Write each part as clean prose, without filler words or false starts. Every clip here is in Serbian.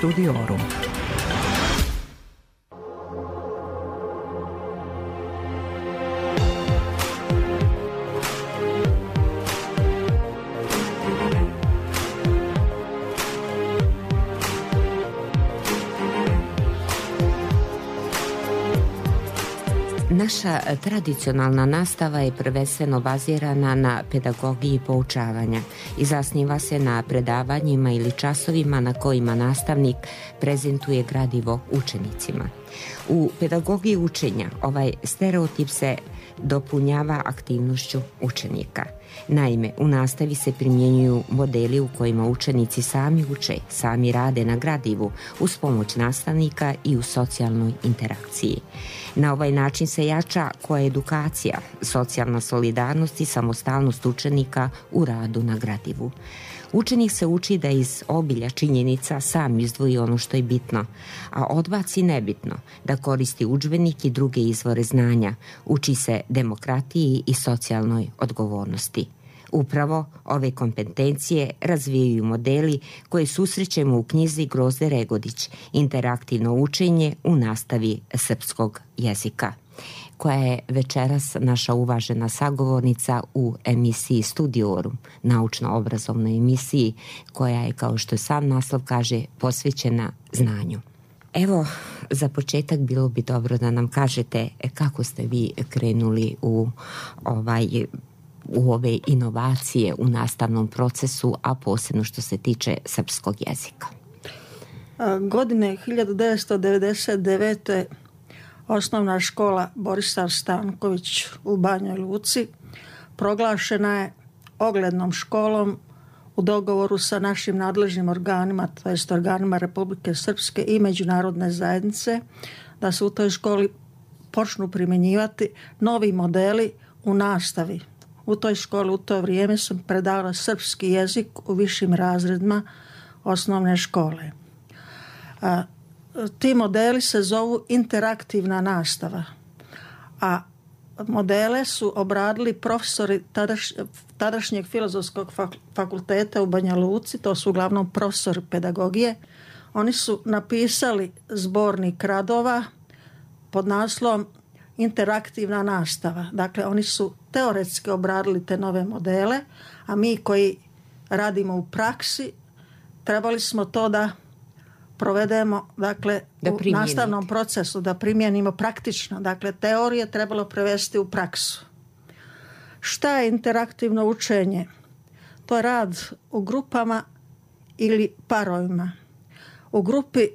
Studiorum. Naša tradicionalna nastava je prvenstveno bazirana na pedagogiji poučavanja i zasniva se na predavanjima ili časovima na kojima nastavnik prezentuje gradivo učenicima. U pedagogiji učenja ovaj stereotip se dopunjava aktivnošću učenika. Naime, u nastavi se primjenjuju modeli u kojima učenici sami uče, sami rade na gradivu uz pomoć nastavnika i u socijalnoj interakciji. Na ovaj način se jača koedukacija, socijalna solidarnost i samostalnost učenika u radu na gradivu. Učenik se uči da iz obilja činjenica sam izdvoji ono što je bitno, a odbaci nebitno, da koristi udžbenik i druge izvore znanja, uči se demokratiji i socijalnoj odgovornosti. Upravo ove kompetencije razvijaju modeli koje susrećemo u knjizi Grozde Regodić, interaktivno učenje u nastavi srpskog jezika, koja je večeras naša uvažena sagovornica u emisiji Studiorum, naučno-obrazovnoj emisiji koja je, kao što sam naslov kaže, posvećena znanju. Evo, za početak bilo bi dobro da nam kažete kako ste vi krenuli u ove inovacije u nastavnom procesu, a posebno što se tiče srpskog jezika. Godine 1999. Osnovna škola Borislav Stanković u Banjoj Luci proglašena je oglednom školom u dogovoru sa našim nadležnim organima, to jest organima Republike Srpske i međunarodne zajednice, da se u toj školi počnu primjenjivati novi modeli u nastavi. U toj školi u to vrijeme sam predavala srpski jezik u višim razredima osnovne škole. Ti modeli se zovu interaktivna nastava, a modele su obradili profesori tadašnjeg Filozofskog fakulteta u Banja Luci, to su uglavnom profesori pedagogije. Oni su napisali zbornik radova pod naslovom interaktivna nastava. Dakle, oni su teoretski obradili te nove modele, a mi koji radimo u praksi trebali smo to da provedemo, dakle, u nastavnom procesu, da primijenimo praktično. Dakle, teorije trebalo prevesti u praksu. Šta je interaktivno učenje? To je rad u grupama ili parovima. U grupi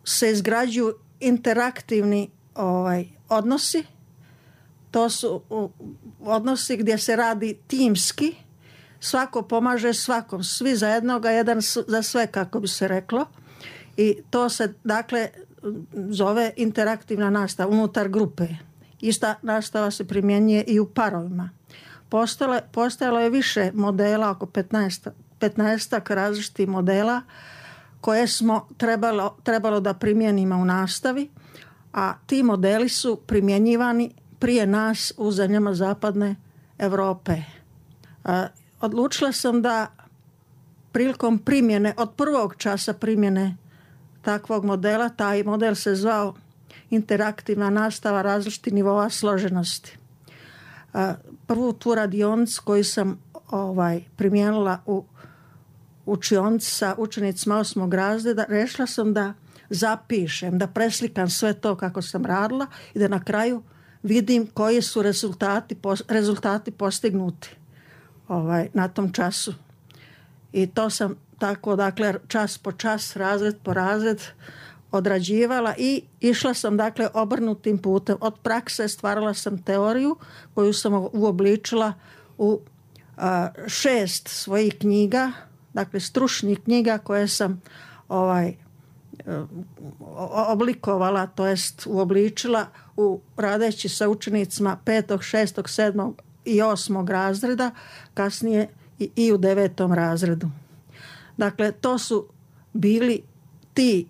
se izgrađuju interaktivni odnosi. To su odnosi gdje se radi timski. Svako pomaže svakom. Svi za jednoga, jedan za sve, kako bi se reklo. I to se, dakle, zove interaktivna nastava unutar grupe. Ista nastava se primjenjuje i u parovima. Postojalo je više modela, oko 15 različitih modela koje smo trebalo da primijenimo u nastavi, a ti modeli su primjenjivani prije nas u zemljama zapadne Europe. Odlučila sam da prilikom primjene, od prvog časa primjene takvog modela, taj model se zvao interaktivna nastava različitih nivoa složenosti. Prvu tu radionicu koju sam primijenila u učionici sa učenicima 8. razreda, rešila sam da zapišem, da preslikam sve to kako sam radila i da na kraju vidim koji su rezultati postignuti na tom času. I to sam tako, dakle, čas po čas, razred po razred odrađivala i išla sam, dakle, obrnutim putem. Od prakse stvarala sam teoriju koju sam uobličila u 6 svojih knjiga, dakle, stručnih knjiga koje sam oblikovala, to jest uobličila radeći sa učenicima 5., 6., 7. i 8. razreda, kasnije i u 9. razredu. Dakle, to su bili ti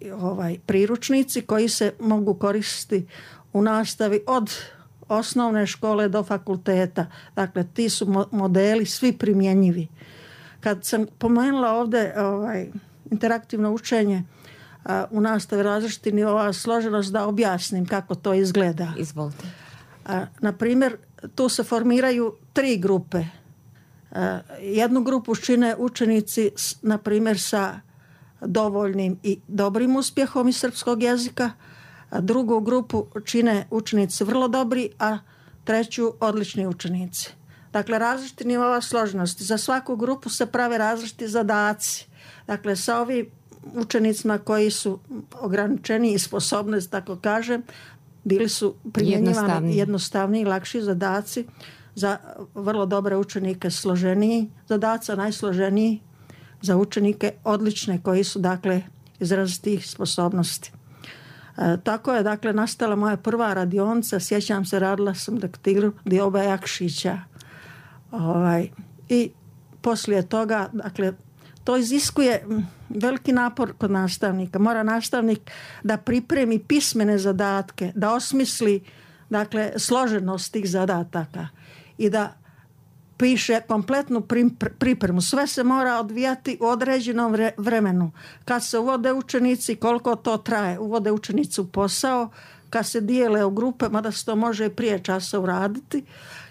priručnici koji se mogu koristiti u nastavi od osnovne škole do fakulteta. Dakle, ti su modeli svi primjenjivi. Kad sam pomenula ovdje interaktivno učenje, u nastavi različiti nivoa složenost da objasnim kako to izgleda. Izvolite. Na primjer, tu se formiraju 3 grupe. Jednu grupu čine učenici, na primjer, sa dovoljnim i dobrim uspjehom iz srpskog jezika, a drugu grupu čine učenici vrlo dobri, a treću odlični učenici. Dakle, različiti nivoa složenosti. Za svaku grupu se prave različiti zadaci. Dakle, sa ovim učenicima koji su ograničeni i sposobni, tako kažem, bili su primjenjivani jednostavniji, lakši zadaci. Za vrlo dobre učenike složeniji zadaci, najsloženiji za učenike odlične koji su, dakle, izrazitih sposobnosti. Tako je, dakle, nastala moja prva radionica. Sjećam se, radila sam daktilu Dioba Jakšića. I poslije toga, dakle, to iziskuje veliki napor kod nastavnika. Mora nastavnik da pripremi pismene zadatke, da osmisli, dakle, složenost tih zadataka i da piše kompletnu pripremu. Sve se mora odvijati u određenom vremenu. Kad se uvode učenici, koliko to traje. Uvode učenici u posao, kad se dijele u grupe, mada se to može i prije časa uraditi.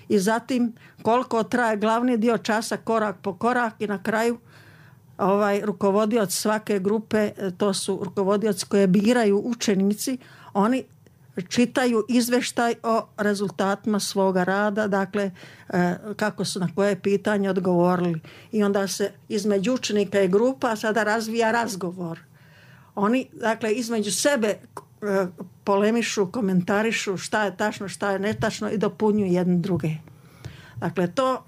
I zatim koliko traje glavni dio časa, korak po korak, i na kraju rukovodioc svake grupe, to su rukovodioci koje biraju učenici, oni čitaju izveštaj o rezultatima svoga rada, dakle kako su na koje pitanje odgovorili. I onda se između učenika i grupa sada razvija razgovor. Oni, dakle, između sebe polemišu, komentarišu šta je tačno, šta je netačno i dopunjuju jedne druge. Dakle, to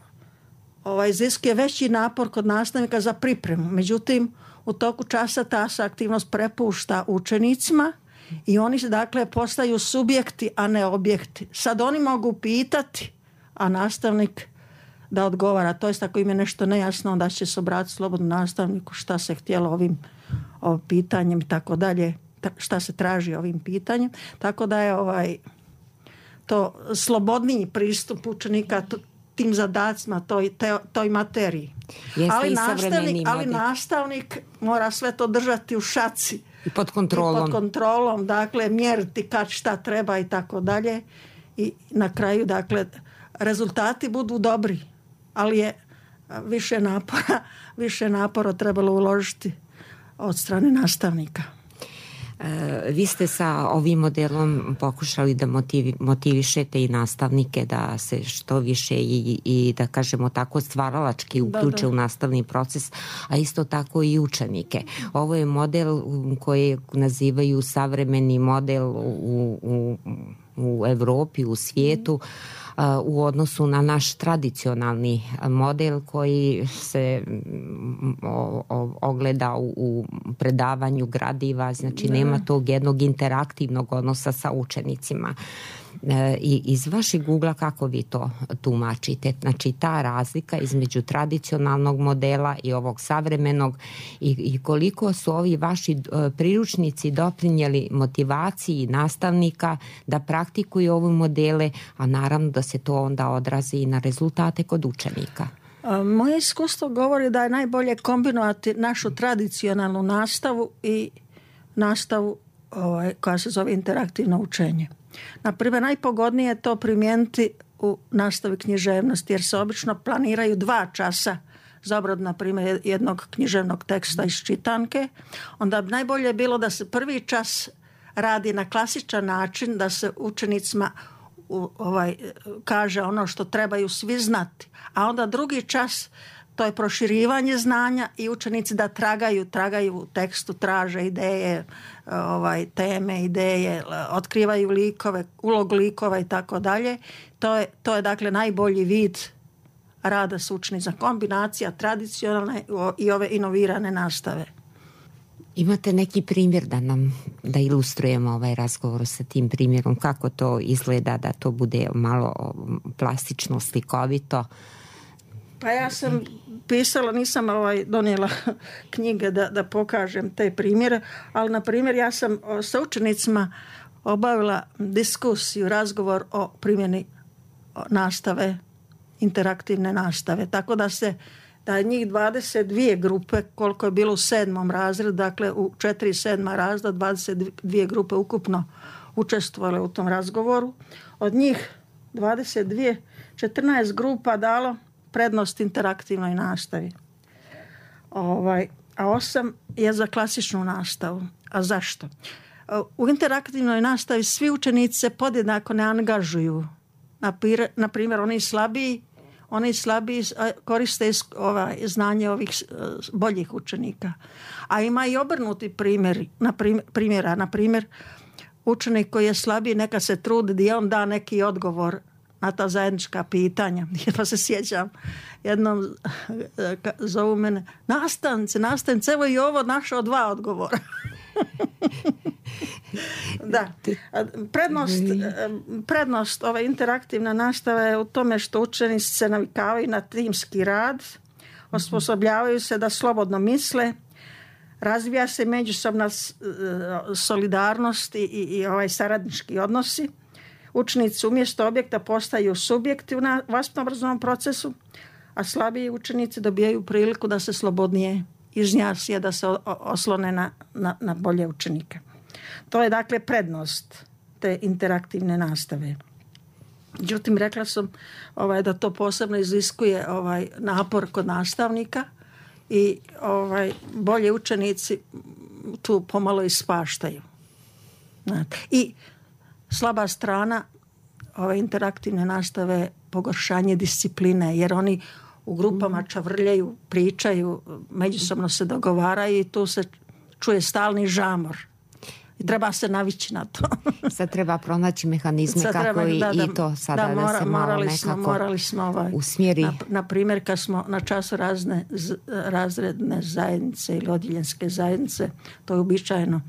iziskuje veći napor kod nastavnika za pripremu. Međutim, u toku časa ta se aktivnost prepušta učenicima i oni, dakle, postaju subjekti, a ne objekti. Sad oni mogu pitati, a nastavnik da odgovara. To jest, ako im je nešto nejasno, onda će se obratiti slobodno nastavniku šta se htjelo ovim pitanjem i tako dalje, šta se traži ovim pitanjem. Tako da je to slobodniji pristup učenika tim zadacima, toj materiji. Ali nastavnik mora sve to držati u šaci. I pod kontrolom. Dakle, mjeriti kad šta treba i tako dalje. I na kraju, dakle, rezultati budu dobri. Ali je više napora trebalo uložiti od strane nastavnika. Vi ste sa ovim modelom pokušali da motivišete i nastavnike da se što više i da kažemo tako stvaralački uključe u nastavni proces, a isto tako i učenike. Ovo je model koji nazivaju savremeni model u Evropi, u svijetu, u odnosu na naš tradicionalni model koji se ogleda u predavanju gradiva, znači nema tog jednog interaktivnog odnosa sa učenicima. I iz vašeg ugla kako vi to tumačite? Znači ta razlika između tradicionalnog modela i ovog savremenog i koliko su ovi vaši priručnici doprinijeli motivaciji nastavnika da praktikuju ove modele, a naravno da se to onda odrazi i na rezultate kod učenika? Moje iskustvo govori da je najbolje kombinovati našu tradicionalnu nastavu i nastavu koja se zove interaktivno učenje. Naprimjer, najpogodnije je to primijeniti u nastavi književnosti, jer se obično planiraju 2 časa za obradu, na primjer, jednog književnog teksta iz čitanke. Onda bi najbolje bilo da se prvi čas radi na klasičan način, da se učenicima kaže ono što trebaju svi znati. A onda drugi čas, to je proširivanje znanja i učenici da tragaju u tekstu, traže ideje, teme, ideje, otkrivaju likove, ulog likova i tako dalje. To je dakle najbolji vid rada s učenicima, kombinacija tradicionalne i ove inovirane nastave. Imate neki primjer da ilustrujemo ovaj razgovor sa tim primjerom, kako to izgleda, da to bude malo plastično, slikovito? Pa ja sam pisala, nisam donijela knjige da pokažem te primjere, ali na primjer ja sam sa učenicima obavila diskusiju, razgovor o primjeni nastave, interaktivne nastave, tako da se da je njih 22 grupe, koliko je bilo u 7. razredu, dakle u 4 i 7. razreda, 22 grupe ukupno učestvovale u tom razgovoru. Od njih 22, 14 grupa dalo prednost interaktivnoj nastavi. A 8 je za klasičnu nastavu. A zašto? U interaktivnoj nastavi svi učenici se podjednako ne angažuju. Na primjer, oni slabiji koriste znanje ovih boljih učenika. A ima i obrnuti primjera. Na primjer, učenik koji je slabiji neka se trudi da on da neki odgovor na ta zajednička pitanja. Pa se sjećam, jednom zovu mene, nastavnice, evo i ovo našao 2 odgovora. Da. Prednost ove interaktivna nastava je u tome što učenici se navikavaju na timski rad, osposobljavaju se da slobodno misle, razvija se međusobna solidarnost i saradnički odnosi. Učenici umjesto objekta postaju subjekti u vaspitno-obrazovnom procesu, a slabiji učenici dobijaju priliku da se slobodnije izjasne, da se oslone na bolje učenike. To je dakle prednost te interaktivne nastave. Međutim, rekla sam da to posebno iziskuje napor kod nastavnika i bolje učenici tu pomalo ispaštaju. I slaba strana ove interaktivne nastave je pogoršanje discipline, jer oni u grupama čavrljaju, pričaju, međusobno se dogovaraju i tu se čuje stalni žamor. I treba se navići na to. Sad treba pronaći mehanizme kako i to sada da se malo nekako usmjeri. Na primjer, kad smo na času razredne zajednice ili odjeljenske zajednice, to je uobičajeno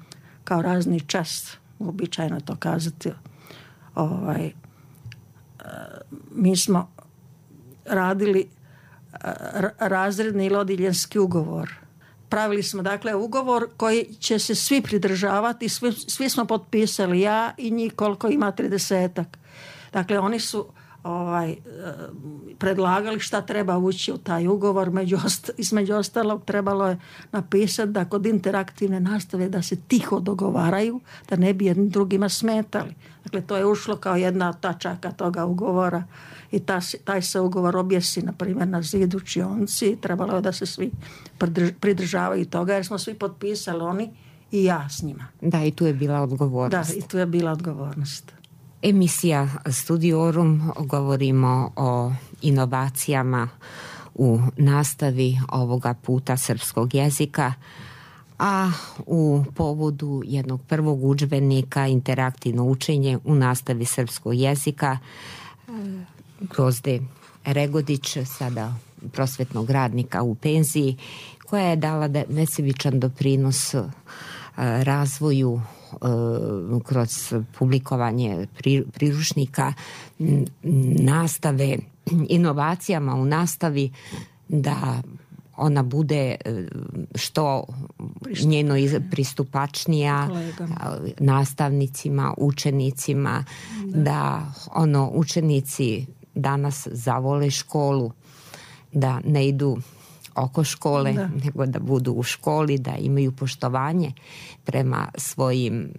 kao razni čas, uobičajeno to kazati. Mi smo radili razredni ili odjeljenski ugovor. Pravili smo dakle ugovor koji će se svi pridržavati, svi smo potpisali, ja i njih koliko ima 30-ak. Dakle, oni su predlagali šta treba ući u taj ugovor. Između ostalog trebalo je napisati da kod interaktivne nastave da se tiho dogovaraju, da ne bi jednim drugima smetali. Dakle, to je ušlo kao jedna od tačaka toga ugovora i taj se ugovor objesi, na primjer, na zidu učionci. Trebalo je da se svi pridržavaju toga jer smo svi potpisali, oni i ja s njima. Da, i tu je bila odgovornost. Da, i tu je bila odgovornost. Emisija Studiorum, govorimo o inovacijama u nastavi ovoga puta srpskog jezika, a u povodu jednog prvog udžbenika interaktivno učenje u nastavi srpskog jezika Grozde Regodić, sada prosvetnog radnika u penziji, koja je dala nesebičan doprinos razvoju kroz publikovanje priručnika nastave, inovacijama u nastavi, da ona bude što njeno pristupačnija nastavnicima, učenicima, da učenici danas zavole školu, da ne idu oko škole, nego da budu u školi, da imaju poštovanje prema svojim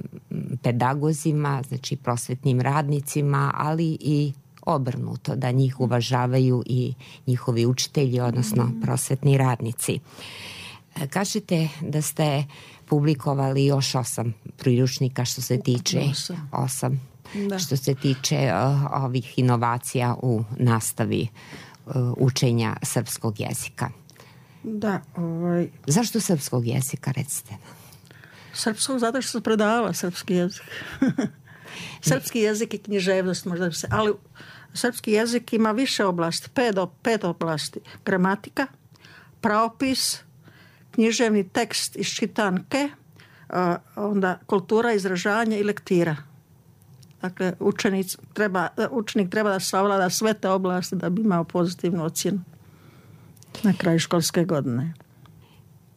pedagozima, znači prosvetnim radnicima, ali i obrnuto, da njih uvažavaju i njihovi učitelji, odnosno prosvetni radnici. Kažete da ste publikovali još 8 priručnika što se tiče 8. Što se tiče ovih inovacija u nastavi učenja srpskog jezika. Da, Zašto srpskog jezika, recite? Srpskog, zato što sam predavala srpski jezik. Srpski jezik i književnost možda se, ali srpski jezik ima više oblasti, 5 oblasti. Gramatika, pravopis, književni tekst iz čitanke, onda kultura, izražavanje i lektira. Dakle, učenik treba da savlada sve te oblasti da bi imao pozitivnu ocjenu na kraju školske godine.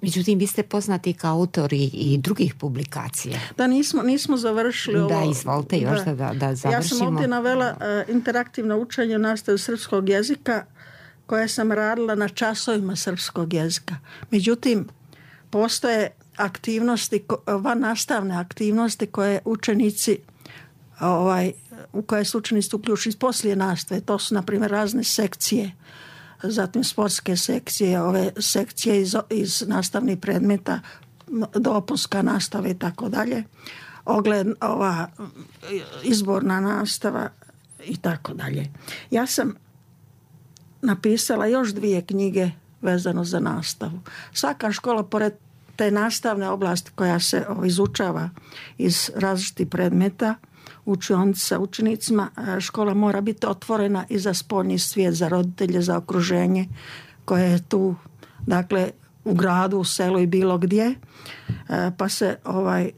Međutim, vi ste poznati kao autori i drugih publikacija. Da, nismo završili ovo. Da, izvolite još da završimo. Ja sam ovdje navela interaktivno učenje u nastavi srpskog jezika koje sam radila na časovima srpskog jezika. Međutim, postoje aktivnosti, vannastavne aktivnosti koje učenici u koje su učenici uključeni poslije nastave. To su, na primjer, razne sekcije, zatim sportske sekcije, ove sekcije iz nastavnih predmeta, dopunska nastava i tako dalje, izborna nastava i tako dalje. Ja sam napisala još 2 knjige vezano za nastavu. Svaka škola, pored te nastavne oblasti koja se izučava iz različitih predmeta, učionici sa učenicima, škola mora biti otvorena i za spoljni svijet, za roditelje, za okruženje koje je tu, dakle, u gradu, u selu i bilo gdje. Pa se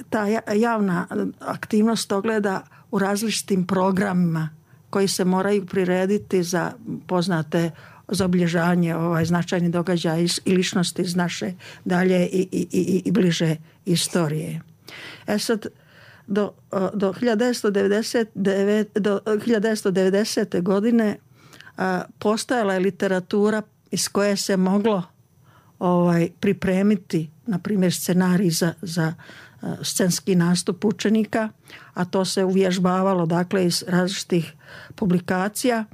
ta javna aktivnost ogleda u različitim programima koji se moraju prirediti za poznate, za obilježavanje značajnih događaja i ličnosti iz naše dalje i bliže istorije. Sad, do 1990. godine postojala je literatura iz koje se moglo pripremiti, na primjer, scenarij za scenski nastup učenika, a to se uvježbavalo, dakle, iz različitih publikacija.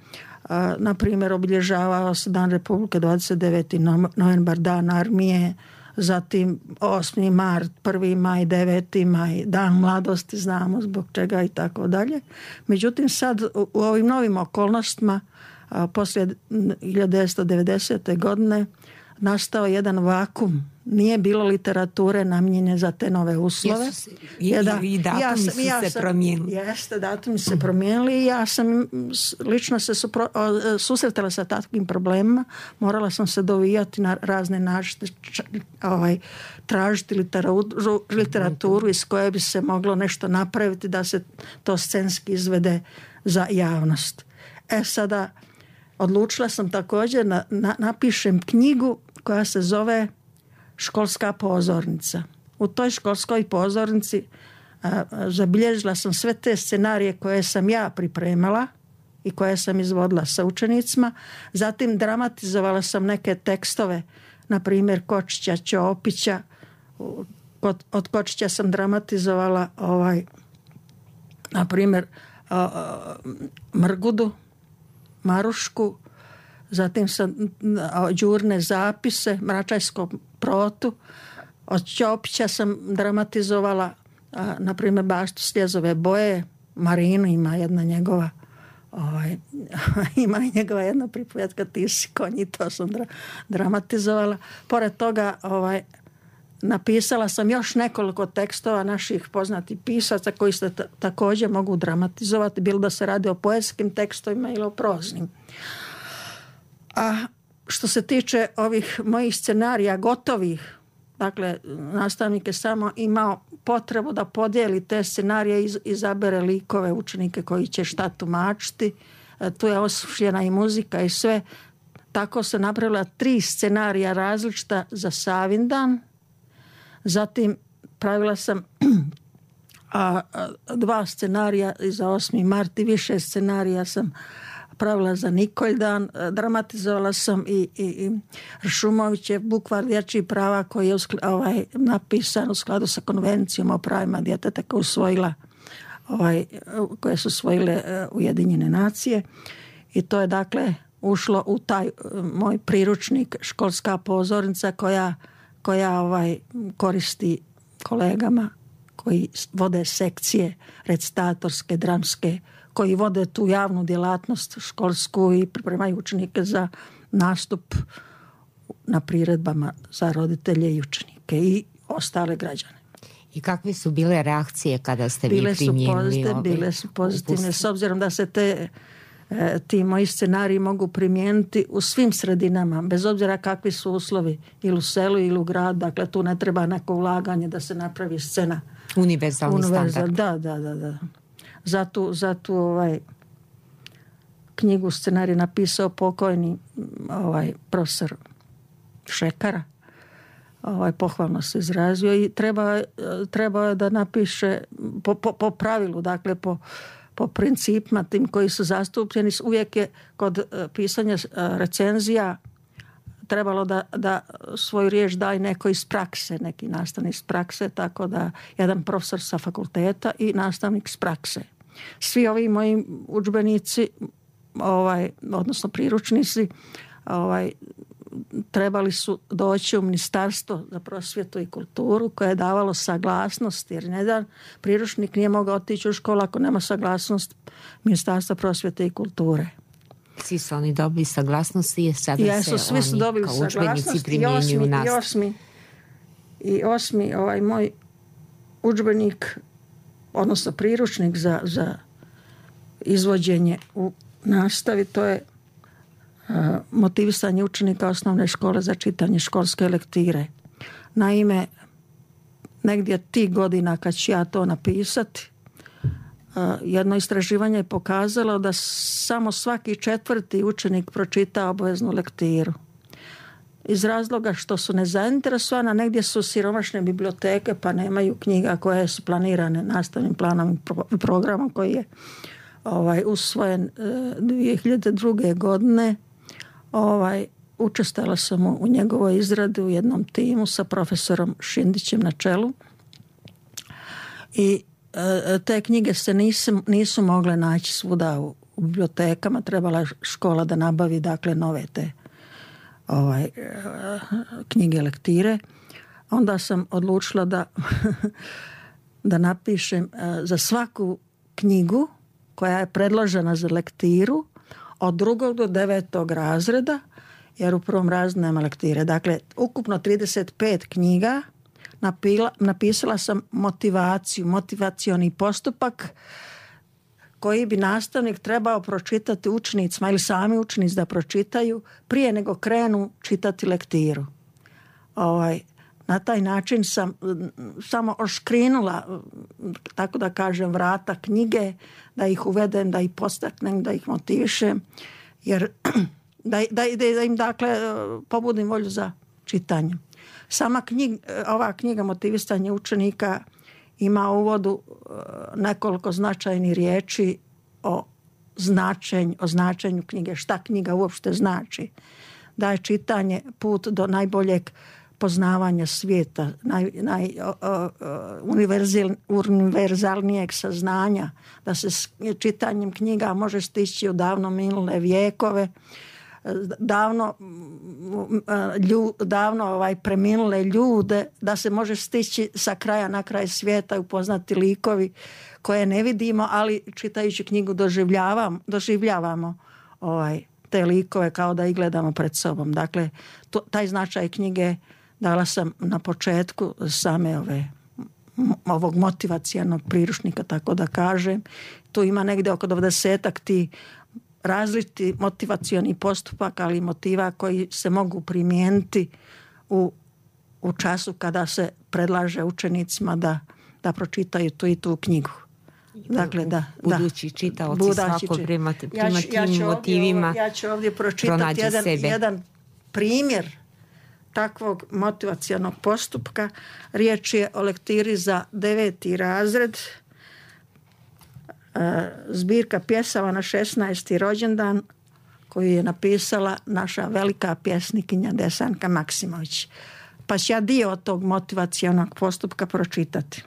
Na primjer, obilježavao se Dan Republike 29. novembar, Dan armije, zatim 8. mart, 1. maj, 9. maj, Dan mladosti, znamo zbog čega i tako dalje. Međutim, sad u ovim novim okolnostima, poslije 1990. godine, nastao jedan vakum. Nije bilo literature namijenjene za te nove uslove. I datumi su se promijenili. Jeste, datumi se promijenili i ja sam lično se susretala sa takvim problemima. Morala sam se dovijati na razne načine, tražiti literaturu iz koje bi se moglo nešto napraviti da se to scenski izvede za javnost. Sada odlučila sam također napišem knjigu koja se zove Školska pozornica. U toj školskoj pozornici zabilježila sam sve te scenarije koje sam ja pripremala i koje sam izvodila sa učenicima. Zatim dramatizovala sam neke tekstove, na primjer Kočića, Ćopića. Od Kočića sam dramatizovala na primjer Mrgudu, Marušku, zatim sam Đurne zapise, Mračajskom protu. Od Ćopića sam dramatizovala na primjer Baštu Sljezove boje, Marinu, ima jedna njegova ima i njegova jedna pripovijetka Ti si konj, i to sam dramatizovala. Pored toga napisala sam još nekoliko tekstova naših poznatih pisaca koji se također mogu dramatizovati, bilo da se radi o poetskim tekstovima ili o proznim. A što se tiče ovih mojih scenarija gotovih, dakle, nastavnik je samo imao potrebu da podijeli te scenarije, izabere likove, učenike koji će šta tumačiti. Tu je osmišljena i muzika i sve. Tako se napravila 3 scenarija različita za Savindan. Zatim pravila sam 2 scenarija za 8. mart i više scenarija sam pravila za Nikoljdan. Dramatizovala sam i Ršumovićev Bukvar dječjih prava koji je napisan u skladu sa konvencijom o pravima djeteta koje su usvojile Ujedinjene nacije. I to je, dakle, ušlo u taj moj priručnik Školska pozornica koja koristi kolegama koji vode sekcije recitatorske, dramske, koji vode tu javnu djelatnost školsku i pripremaju učenike za nastup na priredbama za roditelje i učenike i ostale građane. I kakve su bile reakcije kada ste vi primijenili? Bile su pozitivne, s obzirom da se ti moji scenariji mogu primijeniti u svim sredinama, bez obzira kakvi su uslovi, ili u selu ili u gradu. Dakle, tu ne treba neko ulaganje da se napravi scena. Univerzalni standard. Da. Zato knjigu scenarij napisao pokojni profesor Šekara. Pohvalno se izrazio i treba je da napiše po pravilu, dakle po principima tim koji su zastupljeni. Uvijek je kod pisanja recenzija trebalo da svoju riječ daje neko iz prakse, neki nastavnik iz prakse, tako da jedan profesor sa fakulteta i nastavnik iz prakse. Svi ovi moji udžbenici, odnosno priručnici, trebali su doći u Ministarstvo za prosvjetu i kulturu koje je davalo saglasnost, jer jedan priručnik nije mogao otići u školu ako nema saglasnost Ministarstva prosvjete i kulture. Svi su oni dobili saglasnosti i sada svi su dobili kao udžbenici primjenjuju u nastavi. I osmi moj udžbenik, odnosno priručnik za izvođenje u nastavi, to je motivisanje učenika osnovne škole za čitanje školske lektire. Naime, negdje tih godina kad ću ja to napisati, jedno istraživanje je pokazalo da samo svaki 4. učenik pročita obaveznu lektiru. Iz razloga što su nezainteresovana, negdje su siromašne biblioteke pa nemaju knjiga koje su planirane nastavnim planom i programom koji je usvojen 2002. godine. Učestala sam u njegovoj izradi u jednom timu sa profesorom Šindićem na čelu i te knjige se nisu mogle naći svuda u bibliotekama. Trebala je škola da nabavi nove te knjige lektire. Onda sam odlučila da napišem za svaku knjigu koja je predložena za lektiru od 2. do 9. razreda, jer u prvom razredu nema lektire. Dakle, ukupno 35 knjiga. Napisala sam motivacioni postupak koji bi nastavnik trebao pročitati učenicima ili sami učenici da pročitaju prije nego krenu čitati lektiru. Na taj način sam samo oškrinula, tako da kažem, vrata knjige, da ih uvedem, da ih podstaknem, da ih motivišem, jer da im pobudim volju za čitanje. Ova knjiga Motivisanje učenika ima u uvodu nekoliko značajnih riječi o značenju knjige, šta knjiga uopšte znači. Da je čitanje put do najboljeg poznavanja svijeta, univerzalnijeg saznanja, da se s čitanjem knjiga može stići u davno minule vijekove, davno preminule ljude, da se može stići sa kraja na kraj svijeta i upoznati likovi koje ne vidimo, ali čitajući knjigu doživljavamo te likove kao da ih gledamo pred sobom. Dakle, taj značaj knjige dala sam na početku same ovog motivacijanog priručnika, tako da kažem. Tu ima negdje oko 20-ak ti različiti motivacioni postupak, ali motiva koji se mogu primijeniti u času kada se predlaže učenicima da pročitaju tu i tu knjigu. Dakle, budući čitaoci svako prema tim motivima ja ću ovdje pročitati jedan primjer takvog motivacijanog postupka. Riječ je o lektiri za 9. razred, zbirka pjesama na 16. rođendan koju je napisala naša velika pjesnikinja Desanka Maksimović. Pa ću ja dio od tog motivacijanog postupka pročitati.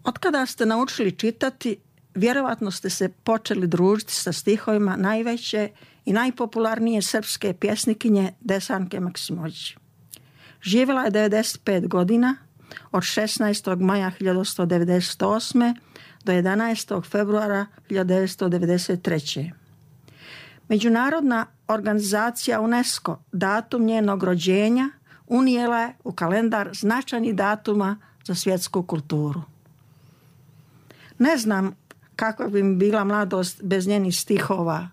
Otkada ste naučili čitati, vjerovatno ste se počeli družiti sa stihovima najveće i najpopularnije srpske pjesnikinje Desanke Maksimović. Živjela je 95 godina, od 16. maja 1998. do 11. februara 1993. Međunarodna organizacija UNESCO datum njenog rođenja unijela je u kalendar značajnih datuma za svjetsku kulturu. Ne znam kakva bi mi bila mladost bez njenih stihova,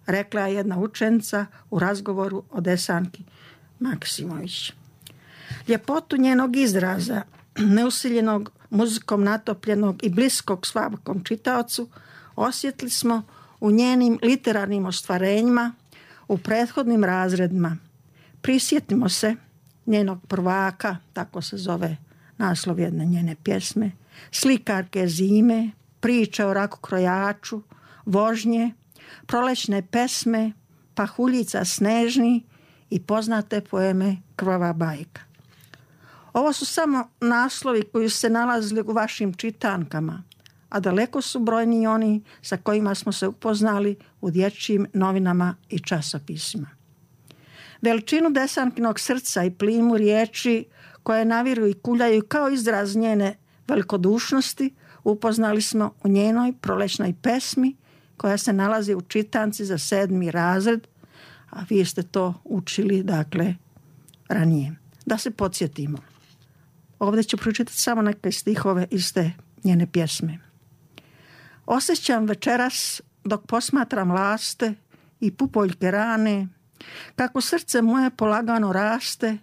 rekla je jedna učenica u razgovoru o Desanki Maksimović. Ljepotu njenog izraza, neusiljenog, muzikom natopljenog i bliskog svakom čitaocu, osjetili smo u njenim literarnim ostvarenjima u prethodnim razredima. Prisjetimo se njenog prvaka, tako se zove naslov jedne njene pjesme, Slikarke zime, priče o rakokrojaču, vožnje, prolećne pesme, pahuljica snežni i poznate poeme Krvava bajka. Ovo su samo naslovi koji se nalazili u vašim čitankama, a daleko su brojni oni sa kojima smo se upoznali u dječjim novinama i časopisima. Veličinu Desankinog srca i plimu riječi koje naviru i kuljaju kao izraz njene velikodušnosti upoznali smo u njenoj prolećnoj pesmi koja se nalazi u čitanci za 7. razred, a vi ste to učili, dakle, ranije. Da se podsjetimo. Ovdje ću pročitati samo neke stihove iz te njene pjesme. Osjećam večeras dok posmatram laste i pupoljke rane, kako srce moje polagano raste,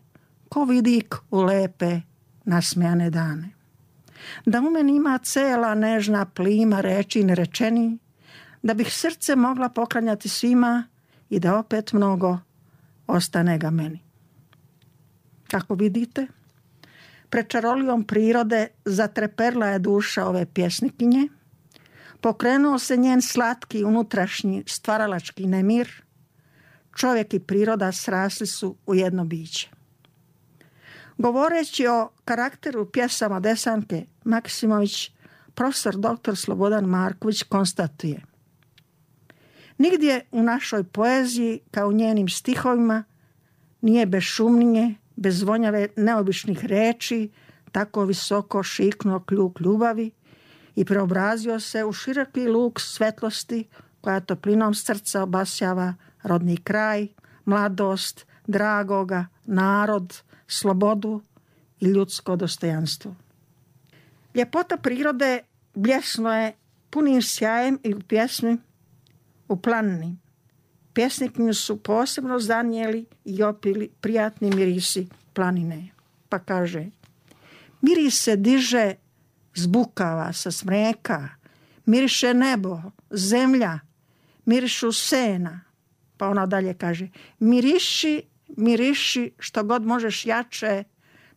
ko vidik u lepe nasmejane dane. Da u meni ima cela nežna plima reči nerečeni, da bih srce mogla poklanjati svima i da opet mnogo ostane ga meni. Kako vidite, pred čarolijom prirode zatreperla je duša ove pjesnikinje, pokrenuo se njen slatki unutrašnji stvaralački nemir, čovjek i priroda srasli su u jedno biće. Govoreći o karakteru pjesama Desanke Maksimović, profesor dr. Slobodan Marković konstatuje: nigdje u našoj poeziji, kao u njenim stihovima, nije bez šumnije, bez vonjave neobičnih reči, tako visoko šiknuo kljuk ljubavi i preobrazio se u široki luk svetlosti koja toplinom srca obasjava rodni kraj, mladost, dragoga, narod, slobodu i ljudsko dostojanstvo. Ljepota prirode bljesno je punim sjajem i u pjesmi u planini. Pjesnikinju su posebno zanijeli i opili prijatni mirisi planine. Pa kaže: miris se diže, zbukava sa smreka, miriše nebo, zemlja, mirišu sena. Pa ona dalje kaže: miriši, miriši što god možeš jače,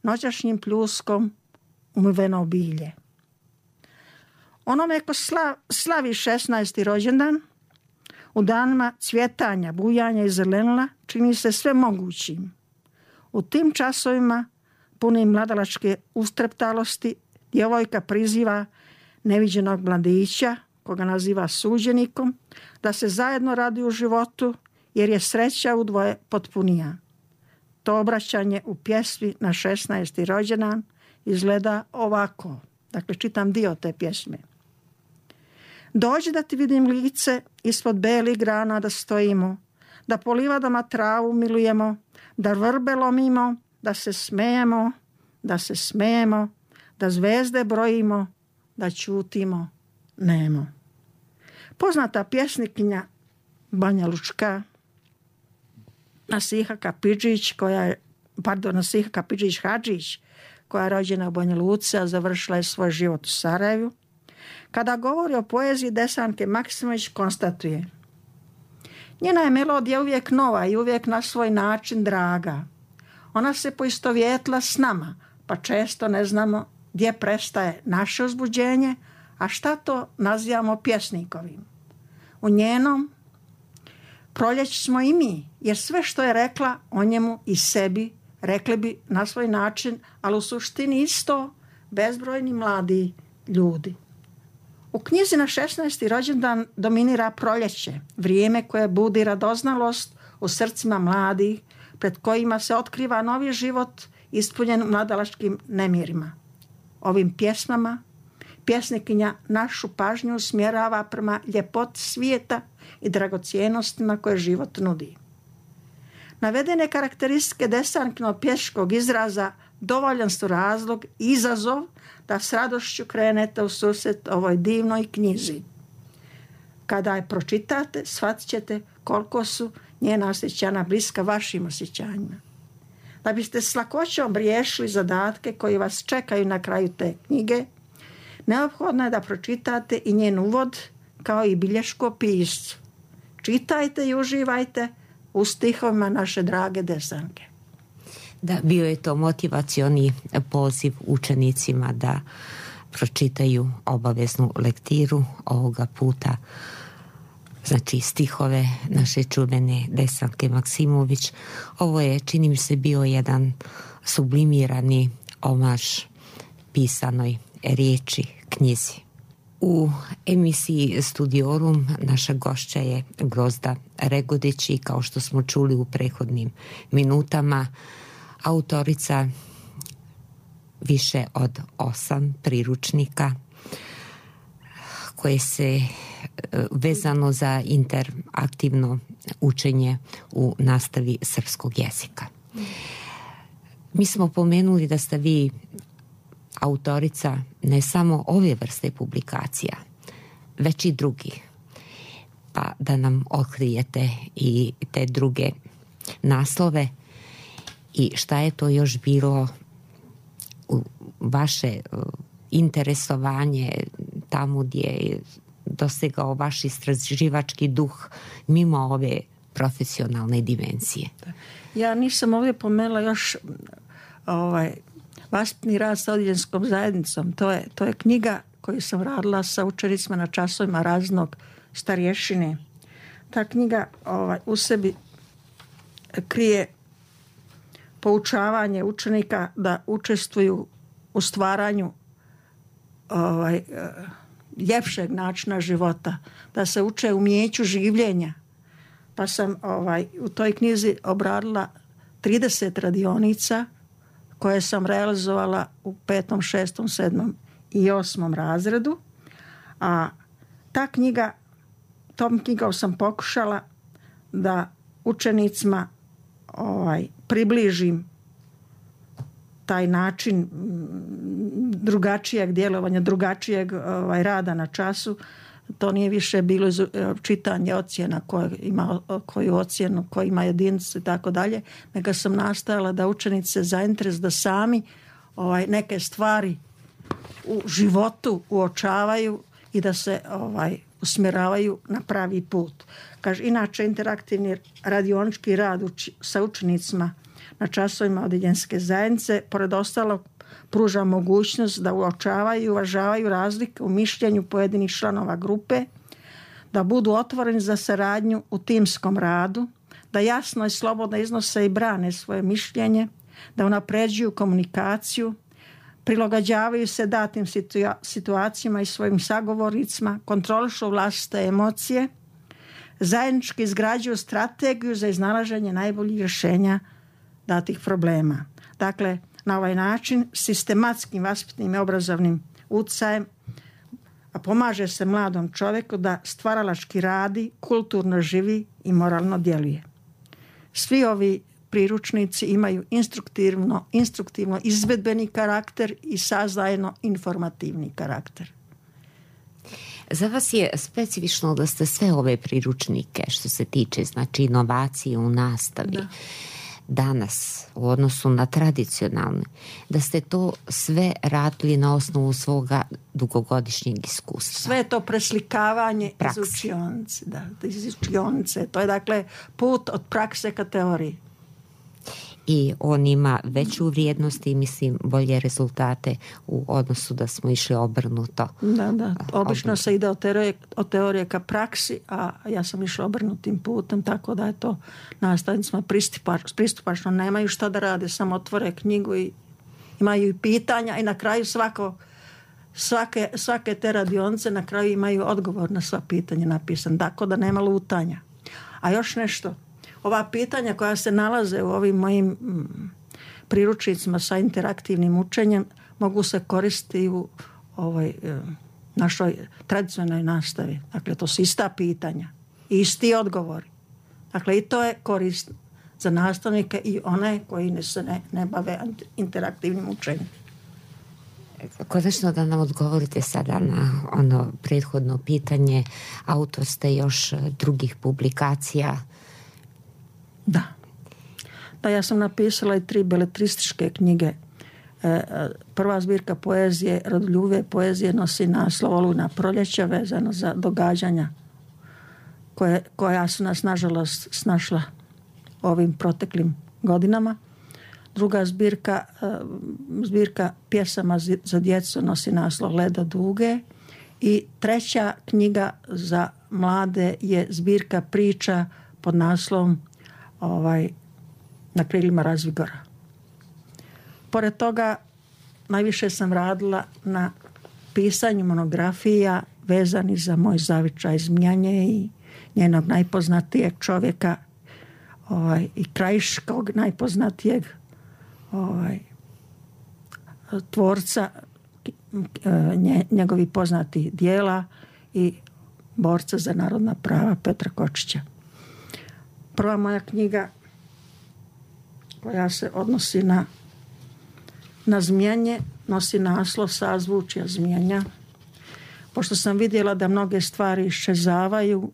noćašnjim pljuskom umiveno bilje. Onome ko slavi 16. rođendan, u danima cvjetanja, bujanja i zelenila, čini se sve mogućim. U tim časovima, punim mladalačke ustreptalosti, djevojka priziva neviđenog mladića, koga naziva suđenikom, da se zajedno radi u životu, jer je sreća udvoje potpunija. To obraćanje u pjesmi na 16. rođendan izgleda ovako. Dakle, čitam dio te pjesme. Dođi da ti vidim lice, ispod belih grana da stojimo, da po livadama travu milujemo, da vrbe lomimo, da se smejemo, da zvezde brojimo, da ćutimo nemo. Poznata pjesnikinja Banja Lučka, Nasiha Kapidžić Hadžić, koja je rođena u Banja Luci, a završila je svoj život u Sarajevu, kada govori o poeziji Desanke Maksimović, konstatuje: njena je melodija uvijek nova i uvijek na svoj način draga. Ona se poistovjetla s nama, pa često ne znamo gdje prestaje naše uzbuđenje, a šta to nazivamo pjesnikovim. U njenom proljeći smo i mi, jer sve što je rekla o njemu i sebi, rekli bi na svoj način, ali u suštini isto bezbrojni mladi ljudi. U knjizi na 16. rođendan dominira proljeće, vrijeme koje budi radoznalost u srcima mladih, pred kojima se otkriva novi život ispunjen mladalačkim nemirima. Ovim pjesmama pjesnikinja našu pažnju usmjerava prema ljepoti svijeta i dragocjenostima koje život nudi. Navedene karakteristike Desankinog pješkog izraza dovoljan su razlog i izazov da s radošću krenete u susret ovoj divnoj knjizi. Kada je pročitate, shvatit ćete koliko su njena osjećanja bliska vašim osjećanjima. Da biste s lakoćom riješili zadatke koji vas čekaju na kraju te knjige, neophodno je da pročitate i njen uvod kao i bilješku o piscu. Čitajte i uživajte u stihovima naše drage Desanke. Da, bio je to motivacioni poziv učenicima da pročitaju obaveznu lektiru ovoga puta, znači stihove naše čuvene Desanke Maksimović. Ovo je, čini mi se, bio jedan sublimirani omaž pisanoj riječi, knjizi. U emisiji Studiorum naša gošća je Grozda Regodić i kao što smo čuli u prethodnim minutama, autorica više od 8 priručnika koje se vezano za interaktivno učenje u nastavi srpskog jezika. Mi smo pomenuli da ste vi autorica ne samo ove vrste publikacija, već i drugih. Pa da nam otkrijete i te druge naslove i šta je to još bilo vaše interesovanje tamo gdje je dosegao vaš istraživački duh mimo ove profesionalne dimenzije. Ja nisam ovdje pomenula još vaspitni rad sa odjeljenskom zajednicom. To je knjiga koju sam radila sa učenicima na časovima raznog starješine. Ta knjiga u sebi krije poučavanje učenika da učestvuju u stvaranju ljepšeg načina života, da se uče umijeću življenja. Pa sam u toj knjizi obradila 30 radionica koje sam realizovala u 5., 6., 7. i 8. razredu. A tom knjigom sam pokušala da učenicima približim taj način drugačijeg djelovanja, drugačijeg rada na času. To nije više bilo čitanje ocjena koju ocjenu, koji ima jedinice i tako dalje, nego sam nastojala da učenice zainteres da sami neke stvari u životu uočavaju i da se usmjeravaju na pravi put. Kaže, inače interaktivni radionički rad sa učenicima na časovima odjeljenske zajednice, pored ostalog, pruža mogućnost da uočavaju i uvažavaju razlike u mišljenju pojedinih članova grupe, da budu otvoreni za saradnju u timskom radu, da jasno i slobodno iznose i brane svoje mišljenje, da unapređuju komunikaciju, prilagođavaju se datim situacijama i svojim sagovornicima, kontrolišu vlastite emocije, zajednički izgrađuju strategiju za iznalaženje najboljih rješenja datih problema. Dakle, na ovaj način sistematskim vaspitnim i obrazovnim utjecajem pomaže se mladom čovjeku da stvaralački radi, kulturno živi i moralno djeluje. Svi ovi priručnici imaju instruktivno izvedbeni karakter i sadržajno informativni karakter. Za vas je specifično da ste sve ove priručnike što se tiče znači inovacije u nastavi danas u odnosu na tradicionalne, da ste to sve radili na osnovu svoga dugogodišnjeg iskustva. Sve je to preslikavanje iz učionice. To je dakle put od prakse ka teoriji. I on ima veću vrijednost i mislim bolje rezultate u odnosu da smo išli obrnuto. Da. Obično se ide od teorije ka praksi, a ja sam išla obrnutim putem, tako da je to nastavnicima pristupačno. Nemaju šta da rade, samo otvore knjigu i imaju i pitanja i na kraju svake te radionice na kraju imaju odgovor na sva pitanja napisan, tako da nema lutanja. A još nešto. Ova pitanja koja se nalaze u ovim mojim priručnicima sa interaktivnim učenjem mogu se koristiti u našoj tradicionalnoj nastavi. Dakle, to su ista pitanja i isti odgovori. Dakle, i to je korisno za nastavnike i one koji se ne bave interaktivnim učenjem. Konačno da nam odgovorite sada na ono prethodno pitanje. Autor ste još drugih publikacija. Da, ja sam napisala i 3 beletrističke knjige. Prva zbirka poezije, rodoljubive poezije, nosi naslov Olujna proljeća, vezano za događanja koja su nas nažalost snašla ovim proteklim godinama. Druga zbirka pjesama za djecu nosi naslov Ledo duge. I treća knjiga za mlade je zbirka priča pod naslovom Na krilima razvigora. Pored toga, najviše sam radila na pisanju monografija vezani za moj zavičaj Zmijanje i njenog najpoznatijeg čovjeka i krajiškog najpoznatijeg tvorca njegovi poznati dijela i borca za narodna prava Petra Kočića. Prva moja knjiga koja se odnosi na Zmijanje nosi naslov Sazvučja Zmijanja. Pošto sam vidjela da mnoge stvari iščezavaju,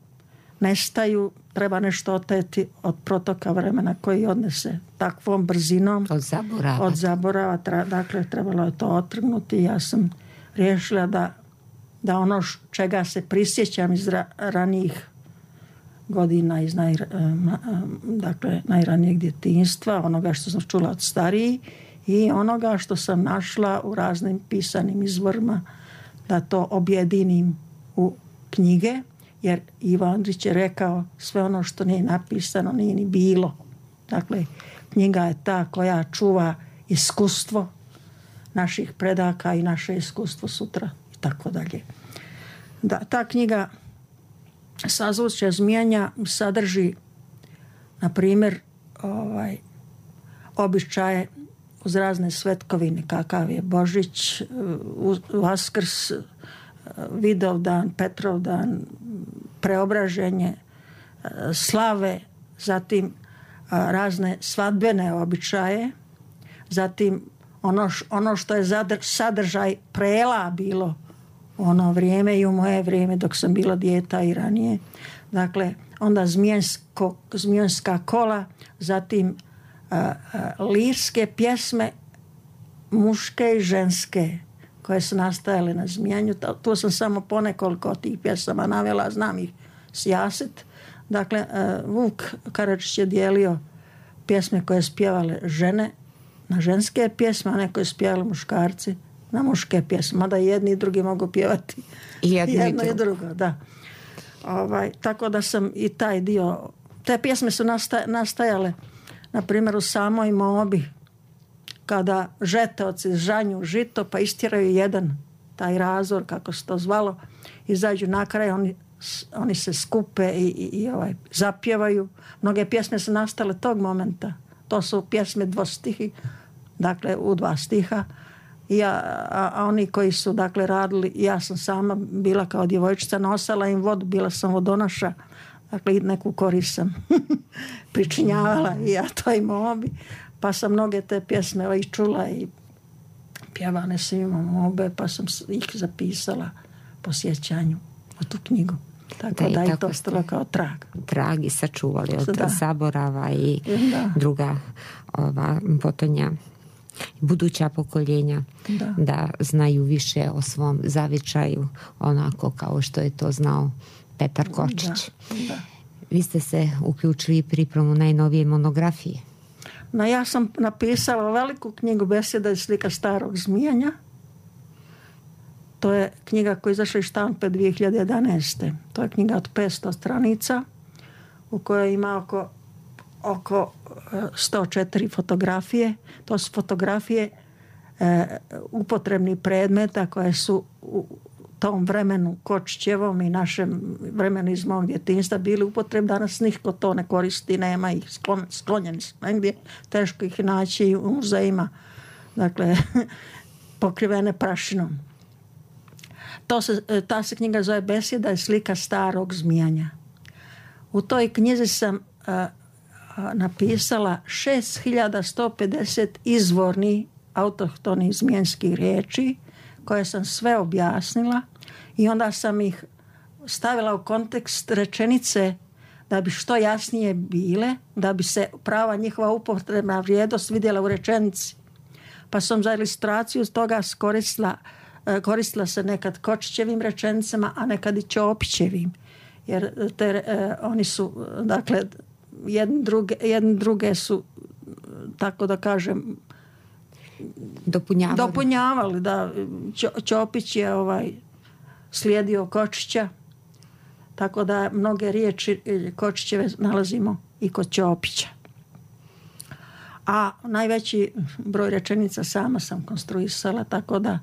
nestaju, treba nešto oteti od protoka vremena koji odnese takvom brzinom. Od zaborava. Dakle, trebalo je to otrgnuti. Ja sam riješila da ono čega se prisjećam iz ranijih godina, iz najranijeg djetinjstva, onoga što sam čula od starijih i onoga što sam našla u raznim pisanim izvorima, da to objedinim u knjige, jer Ivo Andrić je rekao sve ono što nije napisano nije ni bilo. Dakle, knjiga je ta koja čuva iskustvo naših predaka i naše iskustvo sutra i tako dalje. Da, ta knjiga Sazvučja Zmijanja sadrži, na primjer, običaje uz razne svetkovine, kakav je Božić, Vaskrs, Vidovdan, Petrovdan, Preobraženje, slave, zatim razne svadbene običaje, zatim ono što je sadržaj prela bilo u ono vrijeme i u moje vrijeme dok sam bila dijeta i ranije. Dakle, onda zmijanska kola, zatim lirske pjesme muške i ženske koje su nastajale na Zmijanju. Tu sam samo ponekoliko od tih pjesama navela, znam ih sjaset. Dakle, Vuk Karadžić je dijelio pjesme koje spjevale žene na ženske pjesme, a neko je spjevali muškarci na muške pjesme. Mada jedni i drugi mogu pjevati jedno i drugo. Da. Tako da sam i taj dio... Te pjesme su nastajale, na primjer, u samoj Mobi, kada žeteoci žanju žito pa istjeraju jedan taj razor, kako se to zvalo, izađu na kraj, oni se skupe i zapjevaju. Mnoge pjesme su nastale tog momenta. To su pjesme dvostihi, dakle u 2 stiha. A oni koji su dakle radili, ja sam sama bila kao djevojčica, nosala im vodu, bila sam vodonoša, dakle neku korist sam pričinjavala i ja toj Mobi. Pa sam mnoge te pjesme i čula i pjevane su imam obe, pa sam ih zapisala po sjećanju u tu knjigu. Tako da je to ostalo kao trag. Trag i sačuvali od zaborava i druga potonja, buduća pokoljenja da znaju više o svom zavičaju, onako kao što je to znao Petar Kočić. Da. Vi ste se uključili pripremu najnovije monografije. Ja sam napisala veliku knjigu Besjeda i slika starog Zmijanja. To je knjiga koja je izašla iz štampe 2011. To je knjiga od 500 stranica u kojoj ima oko 104 fotografije. To su fotografije upotrebnih predmeta koje su u tom vremenu Kočićevom i našem vremenu iz mog djetinjstva bili upotrebni. Danas nitko to ne koristi, nema ih, sklonjeni su negdje, teško ih naći u muzejima, dakle pokrivene prašinom. Ta se knjiga zove Besjeda i slika starog Zmijanja. U toj knjizi sam napisala 6150 izvornih autohtonih zmijanskih riječi koje sam sve objasnila i onda sam ih stavila u kontekst rečenice da bi što jasnije bile, da bi se prava njihova upotrebna vrijednost vidjela u rečenici. Pa sam za ilustraciju toga koristila se nekad Kočićevim rečenicama, a nekad i Ćopićevim. Jer oni su, dakle, jedni druge su tako da kažem, dopunjavali. Da. Ćopić je slijedio Kočića, tako da mnoge riječi Kočićeve nalazimo i kod Ćopića. A najveći broj rečenica sama sam konstruisala, tako da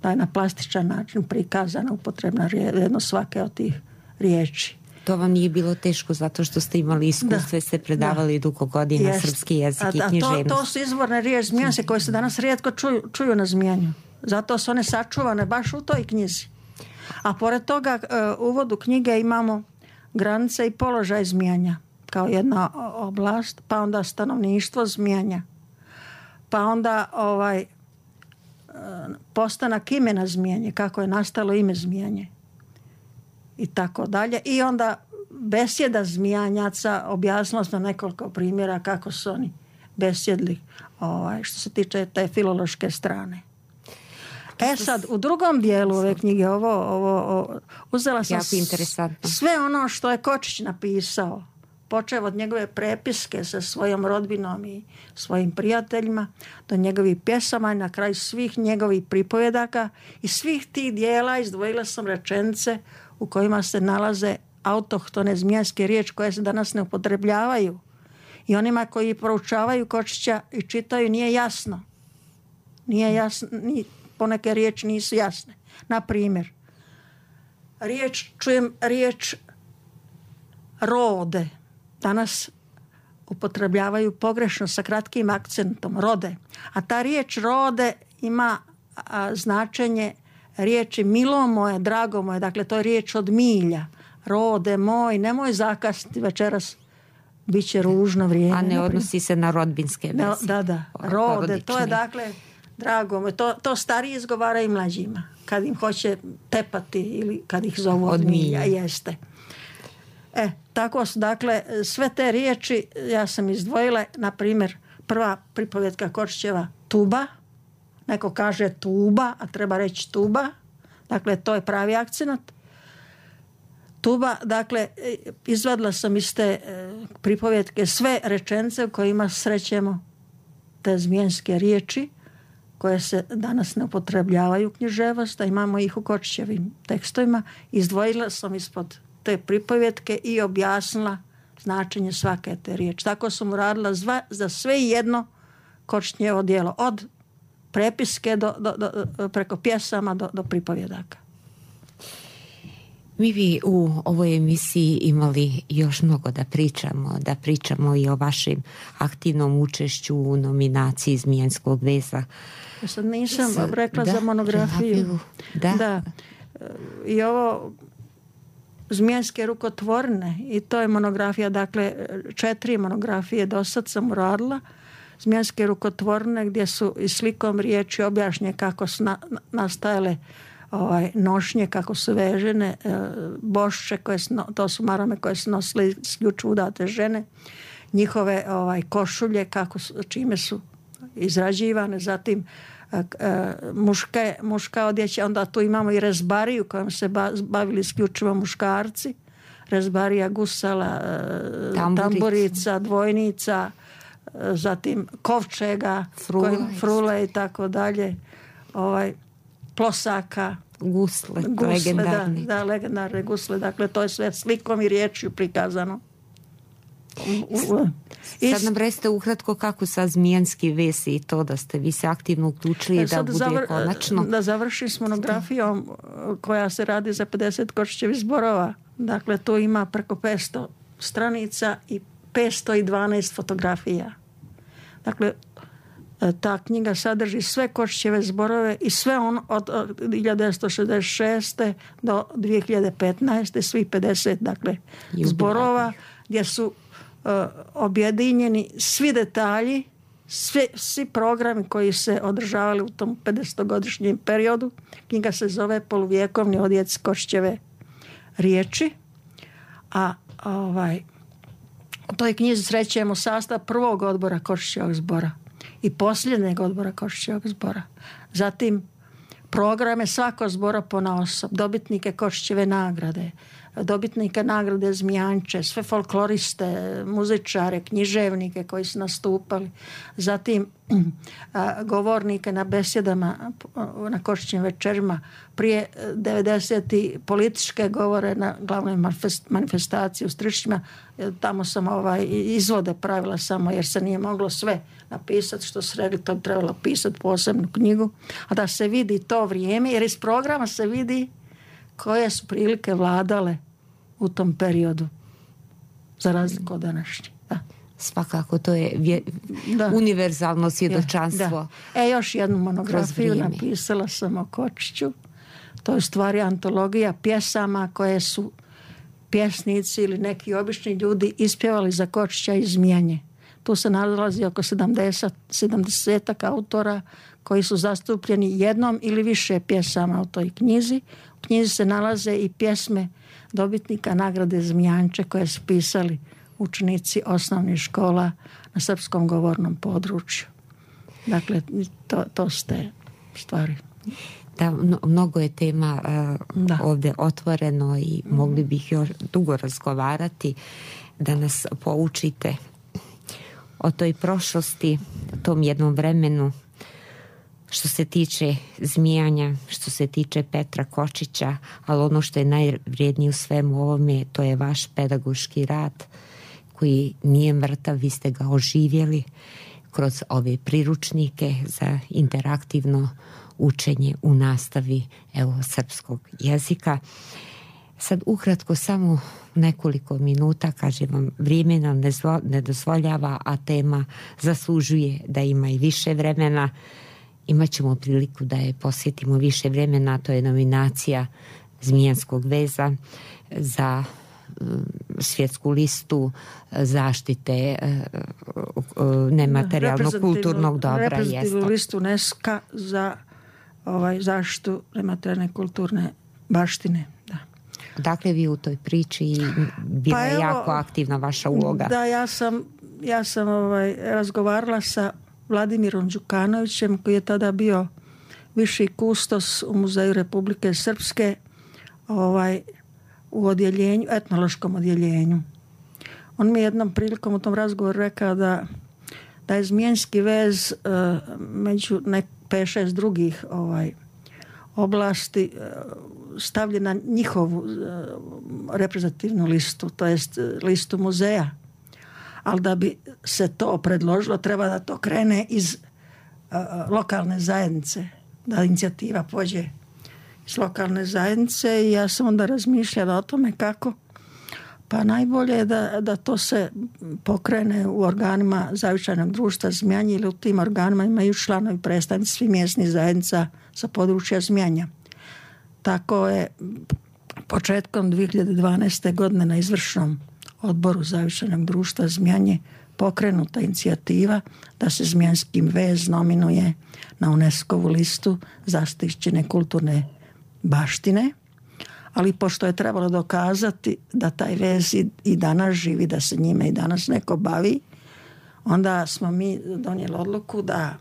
je na plastičan način prikazana upotrebna vrijednost svake od tih riječi. To vam nije bilo teško zato što ste imali iskustvo, ste predavali dugo godina srpski jezik i književnost. To su izvorne riječi Zmijance koje se danas rijetko čuju na Zmijanju. Zato su one sačuvane baš u toj knjizi. A pored toga u uvodu knjige imamo granice i položaj Zmijanja kao jedna oblast, pa onda stanovništvo Zmijanja, pa onda postanak imena Zmijanje, kako je nastalo ime Zmijanje i tako dalje. I onda besjeda Zmijanjaca, objasnila sam nekoliko primjera kako su oni besjedli što se tiče te filološke strane. Sad, u drugom dijelu ove knjige uzela sam sve ono što je Kočić napisao, počeo od njegove prepiske sa svojom rodbinom i svojim prijateljima, do njegovih pjesama i na kraju svih njegovih pripovjedaka. I svih tih dijela izdvojila sam rečenice u kojima se nalaze autohtone zmijanske riječi koje se danas ne upotrebljavaju. I onima koji proučavaju Kočića i čitaju nije jasno. Poneke riječi nisu jasne. Na primjer, čujem riječ rode. Danas upotrebljavaju pogrešno sa kratkim akcentom, rode. A ta riječ rode ima značenje riječi milo moje, drago moje. Dakle, to je riječ od milja. Rode moj, nemoj zakasniti večeras, bit će ružno vrijeme. A ne odnosi se na rodbinske veze. Da. Rode, to je dakle drago moj. To stariji izgovaraju mlađima. Kad im hoće tepati ili kad ih zovu od milja. Jeste. Tako su, dakle, sve te riječi ja sam izdvojila, na primjer, prva pripovjetka Kočićeva tuba, neko kaže tuba, a treba reći tuba, dakle, to je pravi akcenat. Tuba, dakle, izvadila sam iz te pripovjetke sve rečenice u kojima srećemo te zmijanske riječi, koje se danas ne upotrebljavaju u književnosti, a imamo ih u Kočićevim tekstovima. Izdvojila sam ispod te pripovjetke i objasnila značenje svake te riječi. Tako sam uradila za sve jedno Kočićevo djelo, od prepiske preko pjesama do pripovjedaka. Mi bi u ovoj emisiji imali još mnogo da pričamo i o vašem aktivnom učešću u nominaciji Zmijanskog veza. Ja sad nisam rekla za monografiju. Da. I ovo Zmijanske rukotvorne, i to je monografija, dakle 4 monografije do sad sam uradila. Zmijanske rukotvorne gdje su i slikom riječi objašnje kako su nastajale nošnje, kako su vežene, bošče, to su marame koje su nosile isključivo udate žene, njihove košulje, čime su izrađivane, zatim muška odjeća, onda tu imamo i rezbariju kojom se bavili isključivo muškarci, rezbarija gusala, tamburica, dvojnica, zatim kovčega, frule i tako dalje, plosaka, gusle legendarne. Da, legendarne gusle, dakle to je sve slikom i riječju prikazano. Sad nam recite ukratko kako sa Zmijanski vez i to da ste vi se aktivno uključili da bude konačno. Da završim s monografijom koja se radi za 50 Kočićevih zborova. Dakle, tu ima preko 500 stranica i 512 fotografija. Dakle, ta knjiga sadrži sve Kočićeve zborove i sve od 1966. do 2015. svih 50 dakle, zborova gdje su objedinjeni svi detalji, svi programi koji se održavali u tom 50-godišnjem periodu. Knjiga se zove Poluvjekovni odjeci Kočićeve riječi. A u toj knjizi srećemo sastav prvog odbora Kočićevog zbora i posljednjeg odbora Kočićevog zbora. Zatim programe svakog zbora ponaosob, dobitnike Kočićeve nagrade, dobitnike nagrade Zmijanče, sve folkloriste, muzičare, književnike koji su nastupali, zatim govornike na besjedama na Kočićim večerima, prije 90. političke govore na glavnoj manifestaciji u Strišćima. Tamo sam izvode pravila samo jer se nije moglo sve napisati što su rekli, to bi trebalo pisati posebnu knjigu, a da se vidi to vrijeme, jer iz programa se vidi koje su prilike vladale u tom periodu za razliku od današnje. Da. Svakako, to je univerzalno svjedočanstvo. Još jednu monografiju napisala sam o Kočiću. To je u stvari antologija pjesama koje su pjesnici ili neki obični ljudi ispjevali za Kočića iz Zmijanje. Tu se nalazi oko 70 autora koji su zastupljeni jednom ili više pjesama u toj knjizi. U knjizi se nalaze i pjesme dobitnika nagrade Zmijanče koje su pisali učenici osnovnih škola na srpskom govornom području. Dakle, to ste stvari. Da, mnogo je tema ovdje otvoreno i mogli bih još dugo razgovarati, da nas poučite o toj prošlosti, tom jednom vremenu, što se tiče Zmijanja, što se tiče Petra Kočića, ali ono što je najvrijednije u svemu ovome, to je vaš pedagoški rad koji nije mrtav, vi ste ga oživjeli kroz ove priručnike za interaktivno učenje u nastavi srpskog jezika. Sad ukratko samo nekoliko minuta, kažem vam, vrijeme nam ne dozvoljava, a tema zaslužuje da ima i više vremena. Imaćemo priliku da je posjetimo više vremena, to je nominacija Zmijanskog veza za svjetsku listu zaštite nematerijalnog kulturnog dobra. Reprezentativnu listu UNESCO za zaštitu nematerijalne kulturne baštine. Da. Dakle, vi u toj priči bila je jako aktivna vaša uloga. Da, ja sam razgovarala sa Vladimirom Đukanovićem, koji je tada bio viši kustos u Muzeju Republike Srpske u odjeljenju, etnološkom odjeljenju. On mi je jednom prilikom u tom razgovoru rekao da je Zmijanski vez među 5-6 drugih oblasti stavljen na njihovu reprezentativnu listu, to jest listu muzeja. Ali da bi se to predložilo, treba da to krene iz lokalne zajednice, da inicijativa pođe iz lokalne zajednice, i ja sam onda razmišljala o tome kako. Pa najbolje je da to se pokrene u organima zavičajnog društva Zmijanje, ili u tim organima imaju članovi predstavnici svih mjesnih zajednica sa područja Zmijanja. Tako je početkom 2012. godine na izvršnom odboru zavičajnog društva Zmijanje pokrenuta inicijativa da se Zmijanski vez nominuje na UNESCO-vu listu zaštićene kulturne baštine, ali pošto je trebalo dokazati da taj vez i danas živi, da se njime i danas neko bavi, onda smo mi donijeli odluku da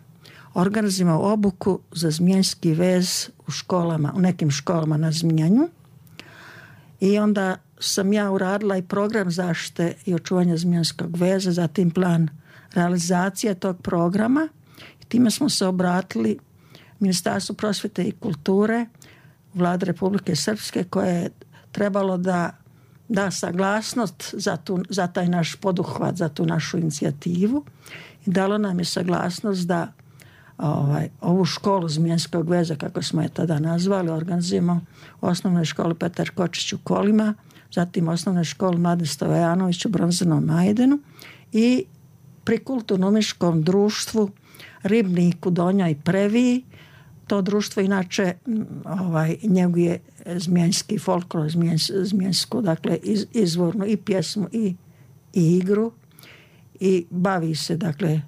organizujemo obuku za Zmijanski vez u školama, u nekim školama na Zmijanju, i onda sam ja uradila i program zaštite i očuvanja Zmijanskog veza, zatim plan realizacije tog programa, i time smo se obratili Ministarstvu prosvjete i kulture Vlade Republike Srpske, koje je trebalo da saglasnost za taj naš poduhvat, za tu našu inicijativu, i dalo nam je saglasnost da ovu školu Zmijanskog veza, kako smo je tada nazvali, organizujemo u osnovnoj školi Petar Kočić u Kolima, zatim osnovnoj školi Mladen Stojanović u Bronzanom Majdenu i pri kulturno-umjetničkom društvu Ribnik u Donjoj Previji. To društvo inače njeguje zmijanski folklor, zmijansku, dakle izvornu i pjesmu i igru, i bavi se dakle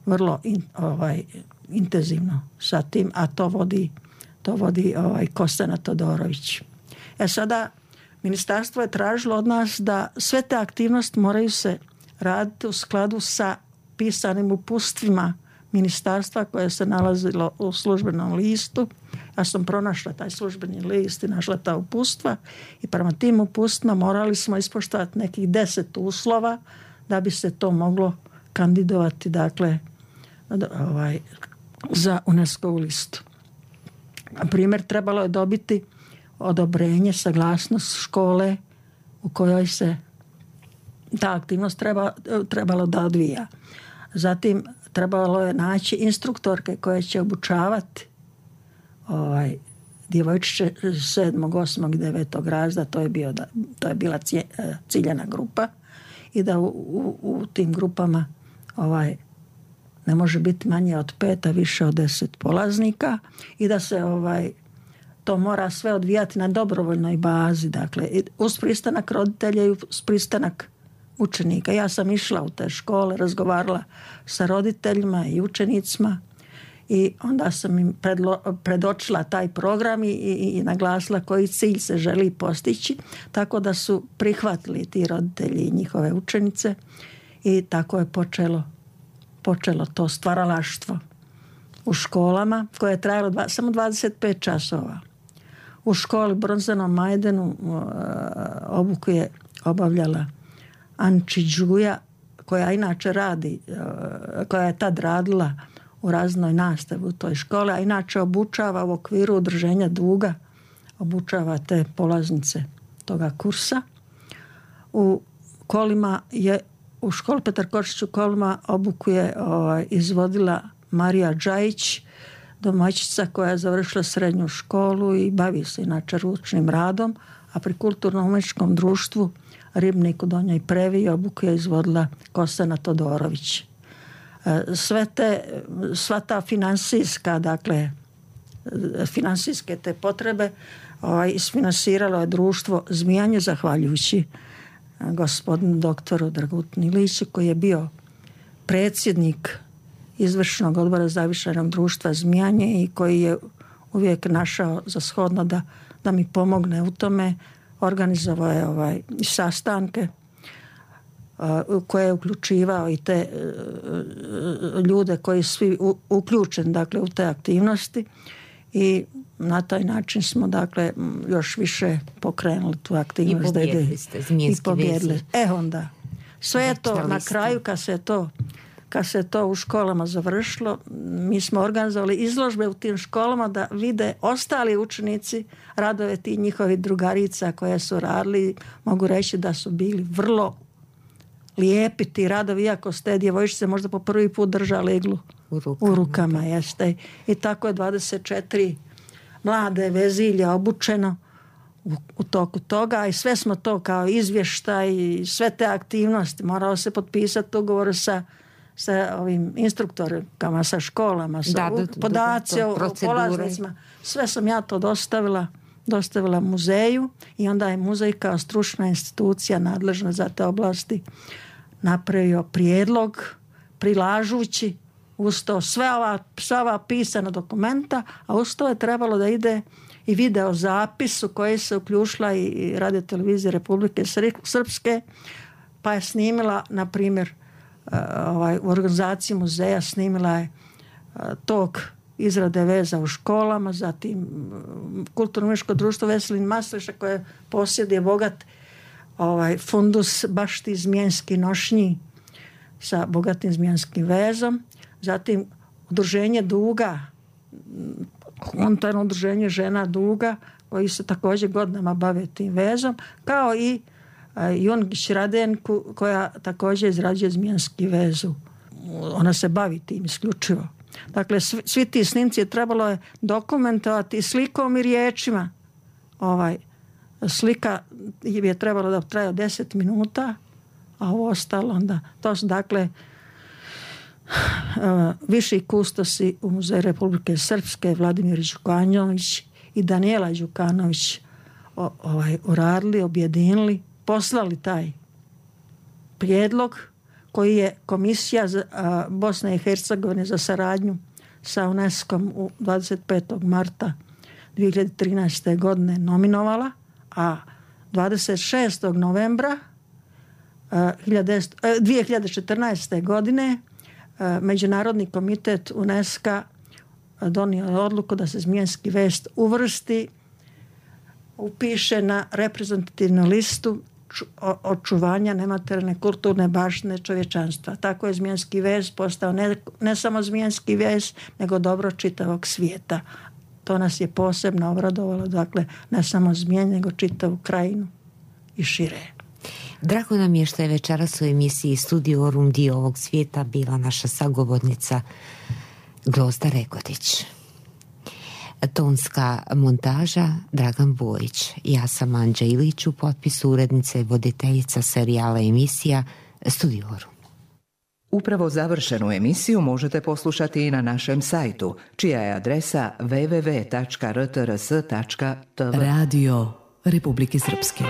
vrlo intenzivno sa tim, a to vodi Kostana Todorović. Sada ministarstvo je tražilo od nas da sve te aktivnosti moraju se raditi u skladu sa pisanim uputstvima ministarstva koje se nalazilo u službenom listu Ja sam pronašla taj službeni list i našla ta upustva i prema tim upustvima morali smo ispoštovati nekih 10 uslova da bi se to moglo kandidovati, dakle, za UNESCO-vu listu. Na primjer, trebalo je dobiti odobrenje, saglasnost škole u kojoj se ta aktivnost trebalo da odvija. Zatim trebalo je naći instruktorke koje će obučavati djevojčiće 7., 8. i 9. razreda, to je bila ciljana grupa i da u tim grupama ne može biti manje od 5, a više od 10 polaznika i da se to mora sve odvijati na dobrovoljnoj bazi, dakle uz pristanak roditelja i uz pristanak učenika. Ja sam išla u te škole, razgovarala sa roditeljima i učenicima i onda sam im predočila taj program i naglasila koji cilj se želi postići, tako da su prihvatili ti roditelji i njihove učenice i tako je počelo to stvaralaštvo u školama koje je trajalo samo 25 časova. U školi Bronzanom Majdenu obuku je obavljala Anči Đuja, koja inače koja je tad radila u raznoj nastavi u toj školi, a inače obučava u okviru udruženja Duga, obučava te polaznice toga kursa. U školi Petar Kočić u Kolima obuku je izvodila Marija Džajić, domaćica koja je završila srednju školu i bavi se inače ručnim radom, a pri Kulturno-umjetničkom društvu Ribnik u Donjoj Previ obuku je izvodila Kostana Todorović. Sva ta finansijske te potrebe isfinansiralo je društvo Zmijanje zahvaljujući gospodinu doktoru Dragutinu Iliću koji je bio predsjednik izvršnog odbora zavičajnog društva Zmijanje i koji je uvijek našao za shodno da mi pomogne u tome. Organizovao je i sastanke koje je uključivao i te ljude koji su svi uključeni dakle, u te aktivnosti i na taj način smo dakle još više pokrenuli tu aktivnost. I pobjedili ste Zmijanski vezi. Onda. Sve je to na kraju kad se to u školama završilo, mi smo organizovali izložbe u tim školama da vide ostali učenici radove tih njihovih drugarica koje su radili. Mogu reći da su bili vrlo lijepi ti radovi, iako ste djevojčice možda po prvi put držali iglu u rukama. Jeste. I tako je 24 mlade vezilja obučeno u toku toga i sve smo to kao izvještaj i sve te aktivnosti. Morao se potpisati ugovor sa ovim instruktorima, sa školama, podaci o polaznicima. Sve sam ja to dostavila muzeju i onda je muzej kao stručna institucija nadležna za te oblasti napravio prijedlog prilažući uz to sva ova pisana dokumenta, a uz to je trebalo da ide i video zapis u koji se uključila i Radio televizija Republike Srpske, pa je snimila, na primjer, u organizaciji muzeja snimila je tok izrade veza u školama, zatim Kulturno-umjetničko društvo Veselin Masleša koje posjeduje bogat fundus baš ti zmijanski nošnji sa bogatim zmijanskim vezom, zatim udruženje Duga, unutarnje udruženje žena Duga koji se također godinama bave tim vezom, kao i Jungić Radenku koja također izrađuje zmijanski vezu. Ona se bavi tim isključivo. Dakle, svi ti snimci trebalo je dokumentovati slikom i riječima. Slika je trebalo da traje 10 minuta, a ovo ostalo onda. To su dakle viši kustosi u Muzeju Republike Srpske, Vladimir Đukanović i Daniela Đukanović uradili, objedinili, poslali taj prijedlog koji je Komisija Bosne i Hercegovine za saradnju sa UNESCO-om u 25. marta 2013. godine nominovala, a 26. novembra 2014. godine Međunarodni komitet UNESCO donio odluku da se Zmijenski vest upiše na reprezentativnu listu očuvanja nematerijalne kulturne baštine čovječanstva. Tako je Zmijenski vez postao ne samo Zmijenski vez, nego dobro čitavog svijeta. To nas je posebno obradovalo, dakle, ne samo Zmijen, nego čitavu krajinu i šire. Drago nam je što je večeras u emisiji Studiorum dio ovog svijeta bila naša sagovornica Grozda Rekodić. Tonska montaža Dragan Bojić. Ja sam Anđa Ilić, u potpisu urednice i voditeljica serijala emisija Studiorum. Upravo završenu emisiju možete poslušati i na našem sajtu, čija je adresa www.rtrs.tv. Radio Republike Srpske.